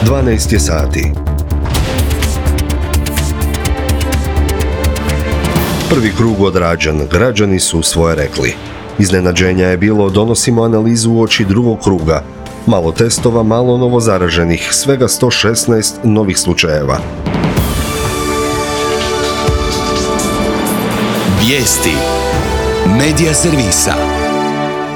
12 je sati. Prvi krug odrađen, građani su svoje rekli. Iznenađenja je bilo, donosimo analizu uoči drugog kruga. Malo testova, malo novozaraženih, svega 116 novih slučajeva. Vijesti Medija servisa.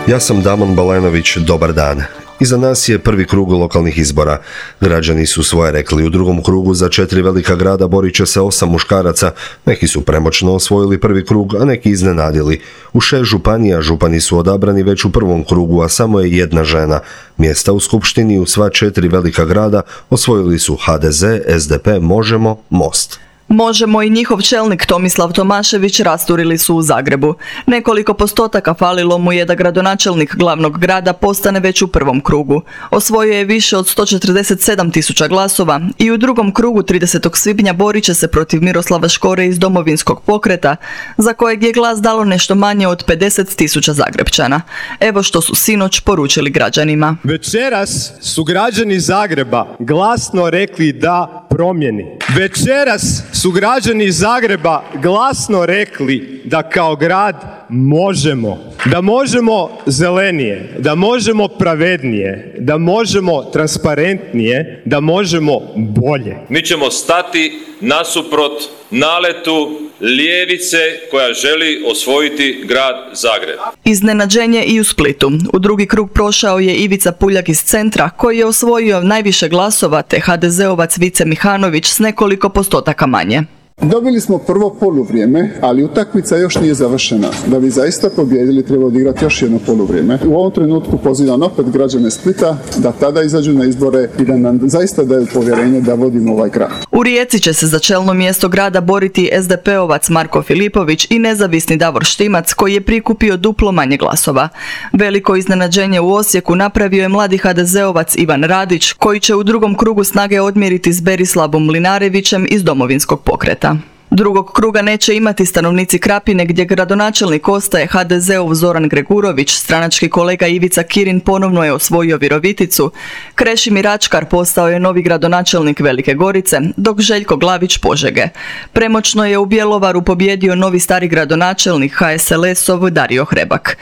Ja sam Damon Balenović, dobar dan. Iza nas je prvi krug lokalnih izbora. Građani su svoje rekli. U drugom krugu za 4 velika grada borit će se 8 muškaraca. Neki su premoćno osvojili prvi krug, a neki iznenadili. U 6 županija župani su odabrani već u prvom krugu, a samo je jedna žena. Mjesta u skupštini u sva 4 velika grada osvojili su HDZ, SDP, Možemo, Most. Možemo i njihov čelnik Tomislav Tomašević rasturili su u Zagrebu. Nekoliko postotaka falilo mu je da gradonačelnik glavnog grada postane već u prvom krugu. Osvojio je više od 147.000 glasova i u drugom krugu 30. svibnja borit će se protiv Miroslava Škore iz Domovinskog pokreta, za kojeg je glas dalo nešto manje od 50.000 Zagrepčana. Evo što su sinoć poručili građanima. Večeras su građani Zagreba glasno rekli da promjeni. Večeras su građani iz Zagreba glasno rekli da kao grad možemo. Da možemo zelenije, da možemo pravednije, da možemo transparentnije, da možemo bolje. Mi ćemo stati nasuprot naletu ljevice koja želi osvojiti grad Zagreb. Iznenađenje i u Splitu. U drugi krug prošao je Ivica Puljak iz Centra, koji je osvojio najviše glasova, te HDZ-ovac Vice Mihanović s nekoliko postotaka manje. Dobili smo prvo poluvrijeme, ali utakmica još nije završena. Da bi zaista pobijedili, treba odigrati još jedno poluvrijeme. U ovom trenutku pozivam opet građane Splita da tada izađu na izbore i da nam zaista daju povjerenje da vodimo ovaj grad. U Rijeci će se za čelno mjesto grada boriti SDP-ovac Marko Filipović i nezavisni Davor Štimac, koji je prikupio duplo manje glasova. Veliko iznenađenje u Osijeku napravio je mladi HDZ-ovac Ivan Radić, koji će u drugom krugu snage odmjeriti s Berislavom Mlinarevićem iz Domovinskog pokreta. Drugog kruga neće imati stanovnici Krapine, gdje gradonačelnik ostaje HDZ-ov Zoran Gregurović, stranački kolega Ivica Kirin ponovno je osvojio Viroviticu, Krešimir Ačkar postao je novi gradonačelnik Velike Gorice, dok Željko Glavić Požege. Premoćno je u Bjelovaru pobjedio novi stari gradonačelnik HSLS-ov Dario Hrebak.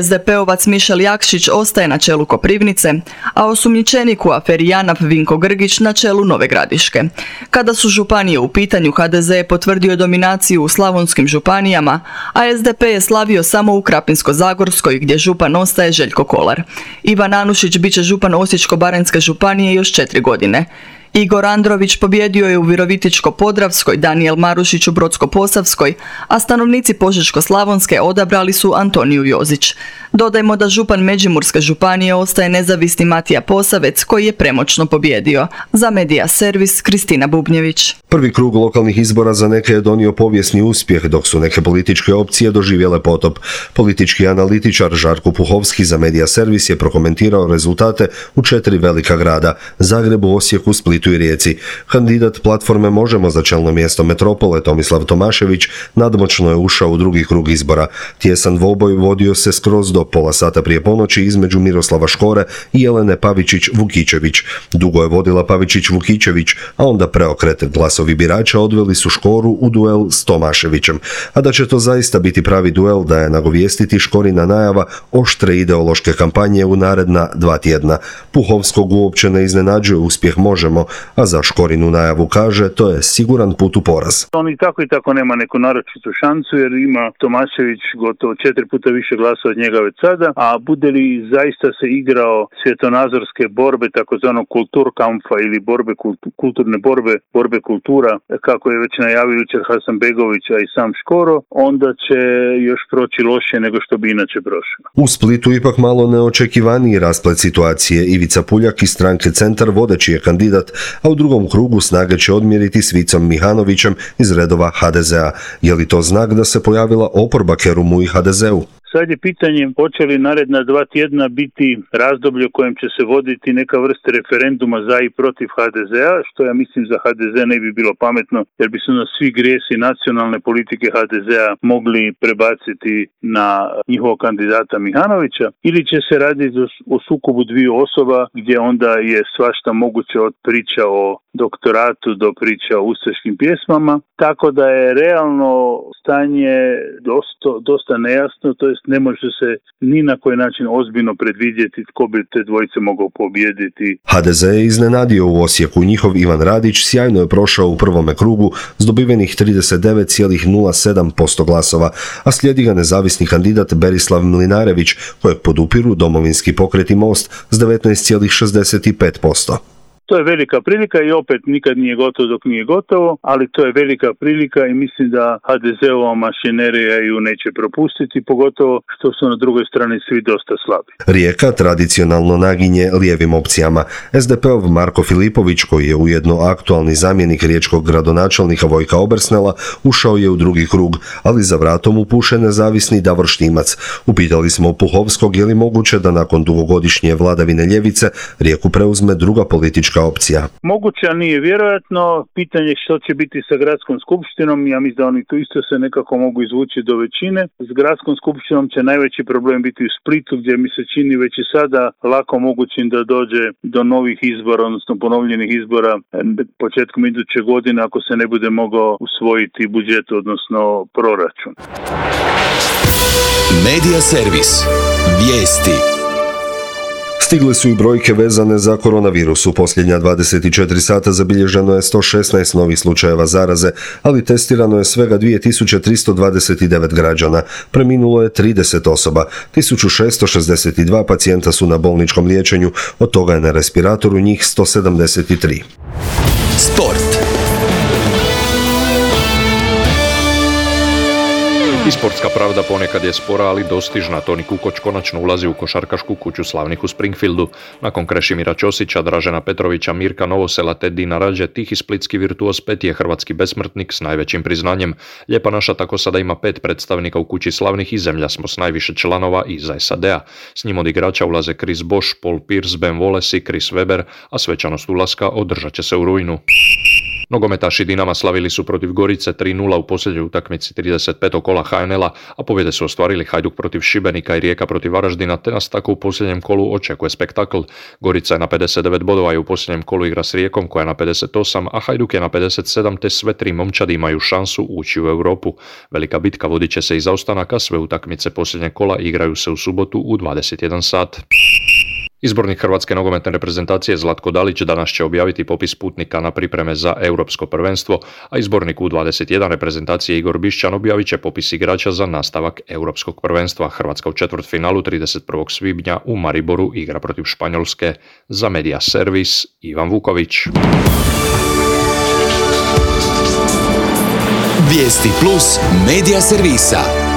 SDP-ovac Mišel Jakšić ostaje na čelu Koprivnice, a osumnjičenik u aferi JANAF Vinko Grgić na čelu Nove Gradiške. Kada su županije u pitanju, HDZ je potvrdio dominaciju u slavonskim županijama, a SDP je slavio samo u Krapinsko-zagorskoj, gdje župan ostaje Željko Kolar. Ivan Anušić bit će župan Osječko-baranjske županije još 4 godine. Igor Andrović pobjedio je u Virovitičko-podravskoj, Danijel Marušić u Brodsko-posavskoj, a stanovnici Požeško-slavonske odabrali su Antoniju Jozić. Dodajmo da župan Međimurske županije ostaje nezavisni Matija Posavec, koji je premoćno pobjedio. Za Medija servis Kristina Bubnjević. Prvi krug lokalnih izbora za neke je donio povijesni uspjeh, dok su neke političke opcije doživjele potop. Politički analitičar Žarko Puhovski za Medija servis je prokomentirao rezultate u 4 velika grada: Zagrebu, Osijeku, Splitu i Rijeci. Kandidat platforme Možemo za čelno mjesto metropole Tomislav Tomašević nadmoćno je ušao u drugi krug izbora. Tjesan dvoboj vodio se skroz do pola sata prije ponoći između Miroslava Škore i Jelene Pavičić-Vukičević. Dugo je vodila Pavičić-Vukičević, a onda preokret. Glasovi birača odveli su Škoru u duel s Tomaševićem. A da će to zaista biti pravi duel, da je nagovijestiti Škorina najava oštre ideološke kampanje u naredna 2 tjedna. Puhovskog uopće ne iznenađuje uspjeh Možemo, a za Škorinu najavu kaže to je siguran put u poraz. On i tako nema neku naročitu šansu, jer ima Tomašević gotovo 4 puta više glasa od njega već sada, a bude li zaista se igrao svjetonazorske borbe, takozvanog kulturkampfa ili kulturne borbe kultura, kako je već najavio jučer Hasanbegović, a i sam Škoro, onda će još proći lošije nego što bi inače prošlo. U Splitu ipak malo neočekivaniji rasplet situacije. Ivica Puljak iz stranke Centar vodeći je kandidat, a u drugom krugu snage će odmjeriti s Vicom Mihanovićem iz redova HDZ-a. Je li to znak da se pojavila oporba Kerumu i HDZ-u? Sad je pitanje hoće li naredna 2 tjedna biti razdoblje u kojem će se voditi neka vrsta referenduma za i protiv HDZ-a, što ja mislim za HDZ ne bi bilo pametno, jer bi se na svi grijesi nacionalne politike HDZ-a mogli prebaciti na njihovog kandidata Mihanovića, ili će se raditi o sukobu dviju osoba gdje onda je svašta moguće od priča o doktoratu do priča o ustaškim pjesmama, tako da je realno stanje dosta nejasno, to jest ne može se ni na koji način ozbiljno predvidjeti tko bi te dvojice mogao pobijediti. HDZ je iznenadio u Osijeku. Njihov Ivan Radić sjajno je prošao u prvome krugu s dobivenih 39,07% glasova, a slijedi ga nezavisni kandidat Berislav Mlinarević, kojeg podupiru Domovinski pokret i Most s 19,65%. To je velika prilika i opet nikad nije gotovo dok nije gotovo, ali to je velika prilika i mislim da HDZ-ova mašinerija ju neće propustiti, pogotovo što su na drugoj strani svi dosta slabi. Rijeka tradicionalno naginje lijevim opcijama. SDP-ov Marko Filipović, koji je ujedno aktualni zamjenik riječkog gradonačelnika Vojka Obersnela, ušao je u drugi krug, ali za vratom mu puše nezavisni Davor Štimac. Upitali smo Puhovskog je li moguće da nakon dugogodišnje vladavine ljevice Rijeku preuzme druga politička opcija. Moguće, ali nije vjerojatno. Pitanje što će biti sa gradskom skupštinom, ja mislim da oni tu isto se nekako mogu izvući do većine. S gradskom skupštinom će najveći problem biti u Splitu, gdje mi se čini već i sada lako mogućim da dođe do novih izbora, odnosno ponovljenih izbora početkom iduće godine ako se ne bude mogao usvojiti budžet, odnosno proračun. Media servis. Vijesti. Stigle su i brojke vezane za koronavirus. U posljednja 24 sata zabilježeno je 116 novih slučajeva zaraze, ali testirano je svega 2329 građana. Preminulo je 30 osoba. 1662 pacijenta su na bolničkom liječenju, od toga je na respiratoru njih 173. Sport. I sportska pravda ponekad je spora, ali dostižna. Toni Kukoč konačno ulazi u košarkašku kuću slavnih u Springfieldu. Nakon Krešimira Ćosića, Dražena Petrovića, Mirka Novosela te Dina Rađe, tihi splitski virtuoz Pet je hrvatski besmrtnik s najvećim priznanjem. Lijepa naša tako sada ima 5 predstavnika u kući slavnih i zemlja smo s najviše članova iza SAD-a. S njim od igrača ulaze Chris Bosh, Paul Pierce, Ben Wallace i Chris Webber, a svečanost ulaska održat će se u rujnu. Nogometaši Dinama slavili su protiv Gorice 3:0 u posljednjoj utakmici 35. kola HNL-a, a pobjede su ostvarili Hajduk protiv Šibenika i Rijeka protiv Varaždina, te nas tako u posljednjem kolu očekuje spektakl. Gorica je na 59 bodova i u posljednjem kolu igra s Rijekom koja je na 58, a Hajduk je na 57, te sve 3 momčadi imaju šansu ući u Europu. Velika bitka vodit će se i za ostanak, a sve utakmice posljednjeg kola igraju se u subotu u 21 sat. Izbornik hrvatske nogometne reprezentacije Zlatko Dalić danas će objaviti popis putnika na pripreme za europsko prvenstvo, a izbornik U21 reprezentacije Igor Bišćan objavit će popis igrača za nastavak europskog prvenstva. Hrvatska u četvrtfinalu 31. svibnja u Mariboru igra protiv Španjolske. Za Media servis Ivan Vuković. Vijesti plus Media servisa.